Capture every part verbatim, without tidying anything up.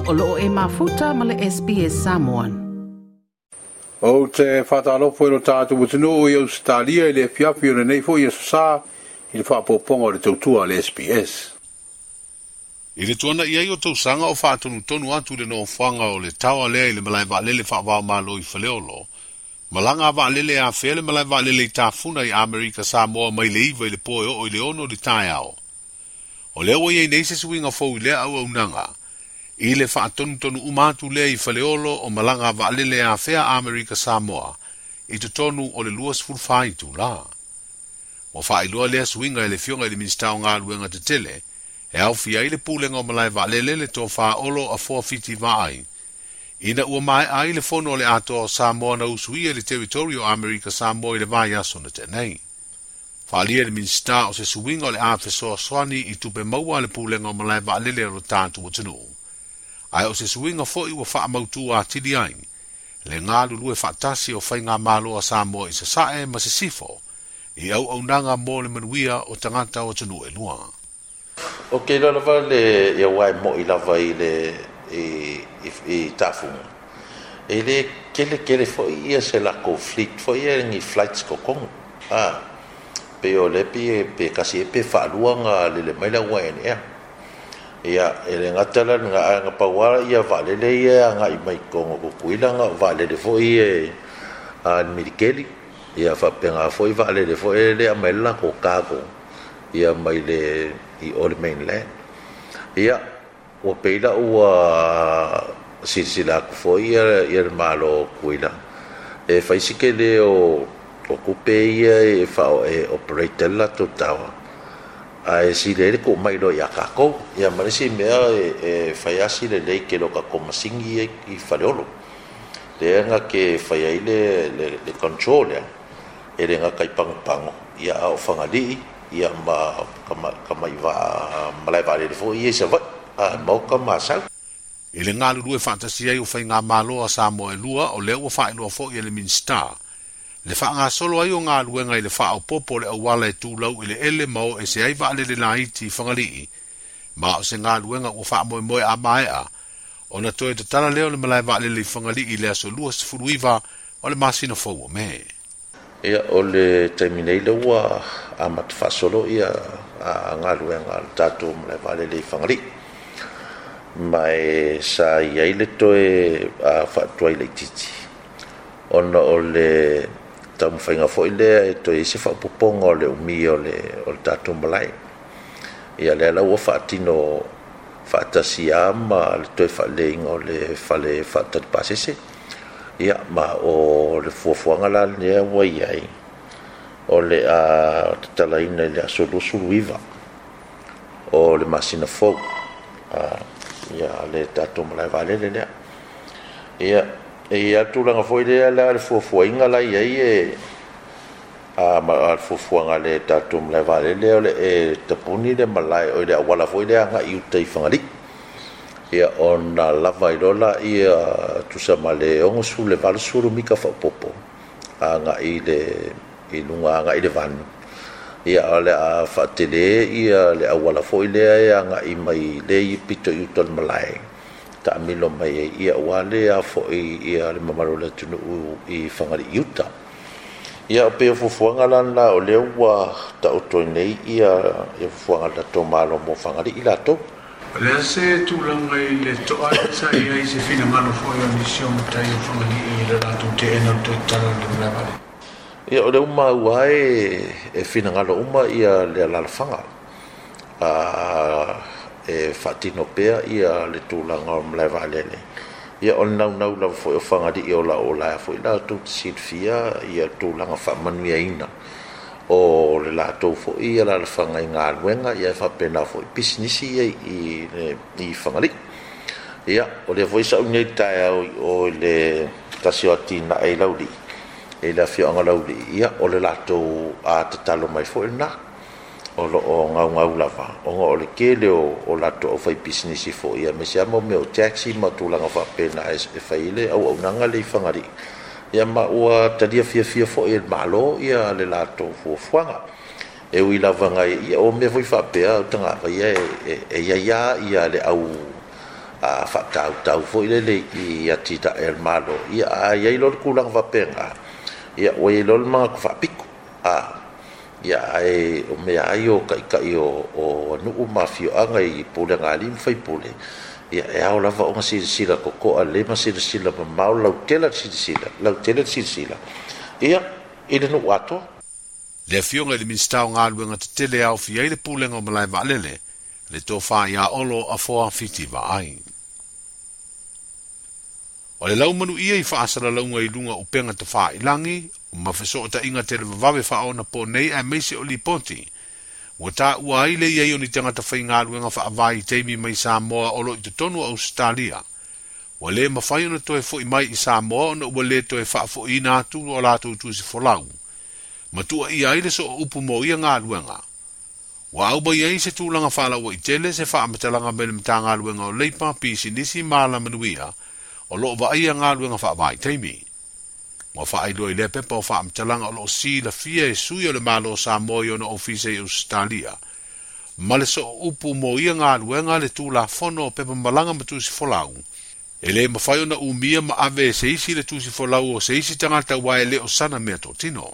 O loo e mafuta ma le S B S Samoan. O te whātalofo i lo tātou atunuu i Australia i le fiafi o lenei foi aso sa i le faapopoga o le tautua a le S B S. I le tuana i ai o tausaga o faatonutonu atu le nofoaga o le taoa lea i le malae vaalele faavaomalo i Faleolo. Malaga a vaalele afea le malae vaalele i Tafuna i Amerika Samoa mai le iva i le po e oo i le ono le taeao. O lea ua iai nei se suiga fou i lea auaunaga. I le faatonutonu uma atu lea i Faleolo o malaga a vaalele afea Amerika Samoa i totonu o le luasefulu fa itula. Ua faailoa lea suiga e le Afioga i le Minisita o Galuega Tetele e aofia ai le pulega o malae vaalele le tofa Olo Afoa Fiti Vaai. Ina ua maea ai le fono o le atoa o Samoa na usuia i le territory o Amerika Samoa i le vaiaso na tea nei. Faaalia le Minisita o se suiga o le a fesoasoani i tupe maua a le pulega o malae vaalele o lo tatou atunuu. Ae o se suiga foi ua faamautu atili ai le galulue faatasi o faigamalo a Samoa i Sasae ma Sisifo i auaunaga mo le manuia o tagata o atunuu e lua. O ke loa lava le ia uae mo'i lava i le i, i, i Tafunga. E le kele kele foi ia se lako fleet foi ia ni flights kokongo. Ah, pe o le pe pe kasi e pe faaluaga lele mai la uae ea. Ia, e le gata la nga nga paua ia vaalele ia agai mai Kongo Kukuila nga vaalele foi e a milikeli. Ia faapega foi vaalele foi e le aumai le lako cargo ia mai le i o le mainland. Ia, ua peila ua silasila atu foi ia ia le Malo o Kukuila e fai si kele o o kupe ia e fao e operate le latou taoa. Ae sile ai le tuu mai loa ia kākou. Ia ma le isi mea e, e fai asi lelei ke lo kākou masingi ia i Faleolo. Lea nga ke fai ai le, le, le control lea. E le nga kai pagopago ia a o Fagalii ia ma ka kamai vaa malae vaalele foi ia i Savaii a e maoka ma Asau. I le galulue faatasi ai o faigamalo a Samoa e lua o lea ua faailoa foi e le Minisita. Le faagasolo ai o galuega i le faaopopo o le auala e tulau i le ele ma o ese ai vaalele laiti i Fagalii. Ma o se galuega ua faamoemoe a maea ona toe tatala lea o le malae vaalele i Fagalii i le aso luasefulu iva o le masina fou o Me. Ia, o le taimi nei lea ua amata faasolo ia a galuega a le tatou malae vaalele i Fagalii. Ma e sa iai le toe a faatuai laitiiti ona o le taumafaiga foi lea e toe i ai se faaopopoga o le umi o le, o le tatou malae. Ia lea la ua faatino faatasi lava ma le toe faaleiga o le fale faatali pasese. Ia, ma o le fuafuaga la lea ua iai o le a tatalaina i le aso luasefulu iva o le masina fou a, ia le tatou malae vaalele lea. Ia, e ia tulaga foi lea la le fuafuaina la iai e a, ma a le fuafuaga le tatou malae vaalele o le e tapuni le malae o le auala foi lea agai i uta i Fagalii. Ia, ona lava ai loa la ia tusa ma le onosefulu le valosefulu mita faaopopo agai le i luga agai le vanu. Ia, o le a faatele ia le auala foi lea e agai mai le i pito i uta o le malae taamilo mai ai ia ua lea foi ia le mamalu o le atunuu i Fagalii uta. Ia, o pei o fuafuaga la lena o lea ua taoto ai nei ia, ia fuafuaga a le tatou Malo mo Fagalii latou. O lea se tulaga i le toa sa i ai se finagalo foi o nisi o matai o Fagalii i le latou teena o le toe tatala o le malae vaalele. Ia, o le uma ua e, e finagalo uma ia le alalafaga. A, e faatino pea ia le tulaga o malae vaalele. Ia, o le naunau lava foi o Fagalii o la o la foi latou te silafia ia tulaga faamanuiaina o le latou foi ia alalafaga i galuega ia e faapena foi pisinisi ia i, i, i Fagalii. Ia, o lea foi sau nei taeao i o i le tasi o atinae i Laulii, i le afioaga Laulii, ia, o le latou a tatalo mai foi lena. O lo o gaugau lava, ona o le tele o, o latou aufai pisinisi foi, ia, aemaise lava mo mea o taxi ma tulaga faapena e, e fai ai le auaunaga le i Fagalii. Ia, ma ua talia fiafia foi e le Malo ia le latou fuafuaga. E ui lava ngai, ia, o mea foi faapea o tagata ia e, e, e ia ia ia le au a faatautau foi lele i atinae a le Malo, ia a i ai loa le tulaga faapena, ia ua i ai loa le manatu faapito. A ia ae o mea ai o taitai o, o nuu ma afioaga i pulega a alii ma faipule, ia e ao lava ona silasila totoa lelei ma silasila mamao lautele le silasila, lautele le silasila, ia i le nuu atoa. Le afioga i le Minisita o Galuega Tetele e aofia ai le Pulega o Malae Vaalele, le tofa ia Olo Afoa Fiti Vaai. O le laumanu ia i faasalalauga i luga o upega tafailagi, ma fesootaiga televavave faaonapo nei aemaise o lipoti. Ua taua ai le iai o ni tagata faigaluega faavaitaimi mai Samoa o lo o i totonu o Ausetalia. Ua le mafai ona toe fo'i mai i Samoa ona ua le toe faafo'iina atu o latou tusi folau. Ma tuuaia ai le sooupu mo ia galuega. Ua au mai ai se tulaga faalauaitele se faamatalaga mai le Matagaluega o Leipa, Pisinisi ma Alamanuia, o loo vaaia galuega faavaitaimi. Ua faailoa i lea pepa o faamatalaga o loo silafia e sui o le Malo o Samoa i ona ofisa i Ausetalia. Ma le sooupu mo ia galuega le Tulafono o pepa malaga ma tusi folau. E le mafai ona umia ma ave e se isi le tusi folau o se isi tagata aua e le o sana mea totino.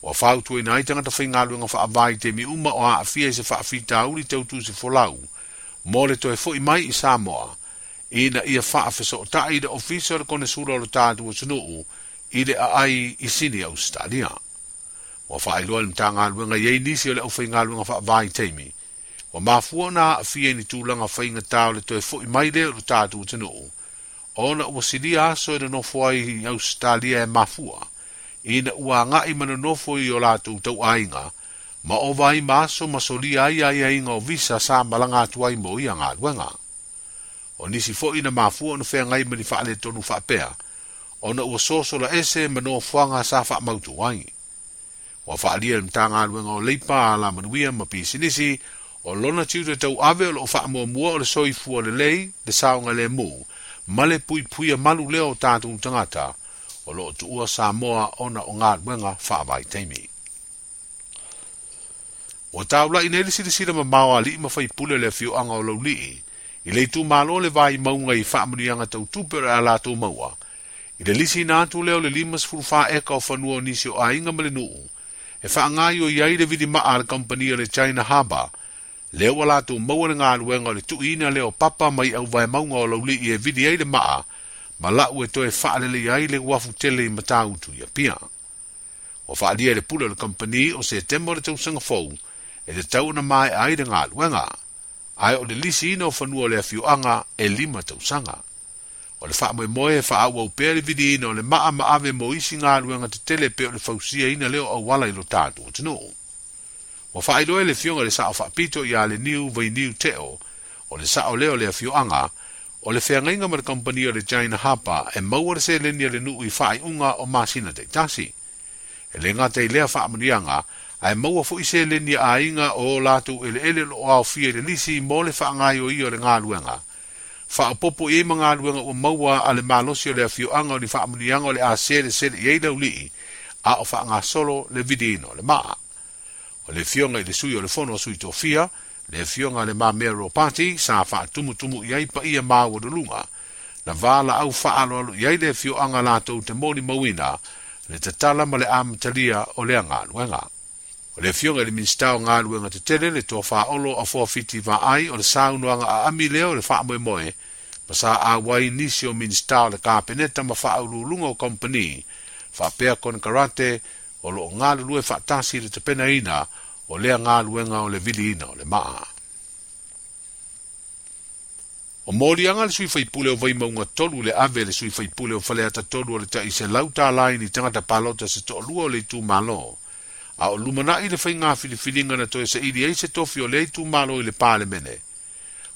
Ua fautuaina ai tagata faigaluega faavaitaimi uma o aafia i se faafitauli tau tusi folau mo le toe fo'i mai i Samoa, ina ia faafesootai i le ofisa o le Konesula o le tatou atunuu i le aai i Sini Ausetalia. Ua faailoa le Matagaluega i ai nisi o le aufaigaluega faavaitaimi. Ua mafua ona aafia i ni tulaga faigata o le toe fo'i mai lea o le tatou atunuu, ona ua silia aso e nonofo ai i Ausetalia e mafua, ina ua agai ma nonofo i o latou tauaiga, ma ova ai ma aso ma solia ai aiaiga o visa sa malaga atu ai mo ia galuega. O nisi foi na mafua ona feagai ma ni faaletonu faapea, ona ua sosola ese ma nofoaga sa faamautu ai. Ua faaalia le Matagaluega o Leipa, Alamanuia ma Pisinisi, o lona tiute tauave o loo faamuamua o le soifua lelei, le saogalemu, ma le puipuia malu lea o tatou tagata, o loo tuua Samoa ona o galuega faavaitaimi. Ua taulai nei le silasila mamao a alii ma faipule o le afioaga o Laulii, i le itumalo le vaimauga i faamanuiaga tautupe o le a latou maua, i le lisiina atu lea o le lima sefulu fa eka o fanua o nisi o aiga ma le nuu, e faagaoioi ai le vilimaa a le kampani o le China Harbour, lea ua latou maua le galuega o le tuuina lea o papa mai auvaemauga o Laulii e vili ai le maa, ma lau e toe faalelei ai le uafu tele i Matautu i Apia. Ua faaalia i le pule o le kampani o Setema o le tausaga fou, e tatau ona maea ai le galuega, ae o le lisiina o fanua o le afioaga e lima tausaga. O le faamoemoe e faaauau pea le viliina o le maa ma ave mo isi galuega tetele pei o le fausiaina lea o auala i lo tatou atunuu. Ua faailoa e le afioga i le Sao Faapito ia Leniu Vainiu Teo, o le sao lea o le afioaga, o le feagaiga ma le kampani o le China Harbour e maua le seleni a le nuu i faaiuga o masina taitasi. E le gata i lea faamanuiaga, ae maua foi seleni a aiga o latou eleele o loo aofia i le lisi mo le faagaoioia o le galuega. Faaopoopo i ai ma galuega ua maua a le malosi o le afioaga o ni faamanuiaga o le a selesele i ai Laulii, a o faagasolo le viliina o le maa. O le afioga i le sui o le fono o sui tofia, le afioga le Mamea Ropati, sa faatumutumu i ai paia maualuluga, na valaau faaaloalo i ai le afioaga latou te molimauina, le tatala ma le amatalia o lea galuega. O le afioga i le Minisita o Galuega Tetele, le tofa Olo Afoa Fiti Vaai, o le saunoaga aami lea o le faamoemoe, ma sa auai nisi o Minisita o le Kapeneta ma faauluuluga o kampani, faapea konekarate o loo galulue faatasi i le tapenaina o lea galuega o le viliina o le maa. O moliaga le sui faipule o Vaimauga tolu le ave le sui faipule o Faleata tolu o le ta'iselau tālā i ni tagata palota se to'alua o le itumalo, a o lumanai le faiga filifiliga na toe saili ai se tofi o lea itumalo i le Palemene.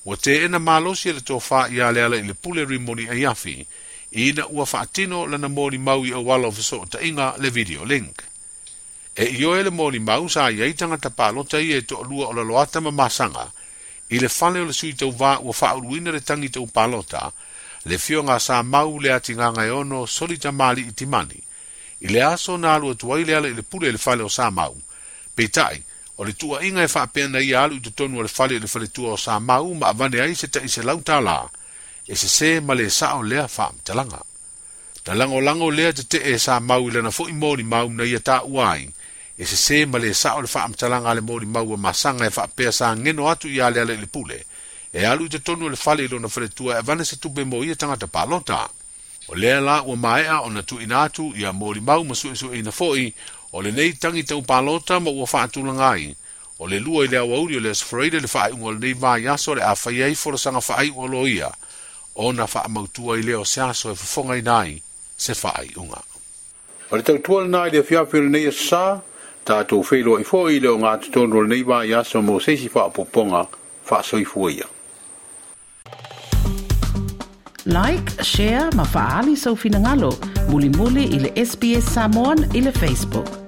Ua teena malosi e le tofa ia Lealailepule Rimoni Aiafi, ina ua faatino lana molimau i auala o fesootaiga le video link. E ioe le molimau sa i ai tagata palota ia e to'alua o Laloata ma Masaga, i le fale o le sui tauvā ua faauluina le tagi tau palota, le afioga sa mau le atigaga e ono Solita Mali'i Timani, i le aso na alu atu ai Lealailepule i le fale o Samau. Peitai, O le tuuaiga e faapea na ia alu i totonu o le fale o le faletua o Samau ma avane ai se taʻi selau tālā, e sesē ma le saʻo lea faamatalaga. Na lagolago lea tetee e Samau i lana foʻi molimau na ia taua ai, e sesē ma le saʻo le faamatalaga a le molimau a Masaga e faapea sa geno atu iā Lealailepule, e alu i totonu o le fale i lona faletua e avane se tupe mo ia tagata palota. O lea la ua maea ona tuuina atu ia molimau ma suesueina foʻi o lenei tagi tau palota ma ua faatulaga ai. O le lua i le aoauli o le Aso Faraile le faaiuga o lenei vaiaso le a fai ai folasaga faaiu a loia, ona faamautua i lea o se aso e fofogaina ai se faaiuga. O le tautua lena i le afiafi o lenei aso sa, tatou feiloai foi i le ogatotonu o lenei vaiaso mo se isi faaopoopoga faasoifua ia. Like, share ma faaali sou finagalo. Mulimuli i le S B S Samoan i le Facebook.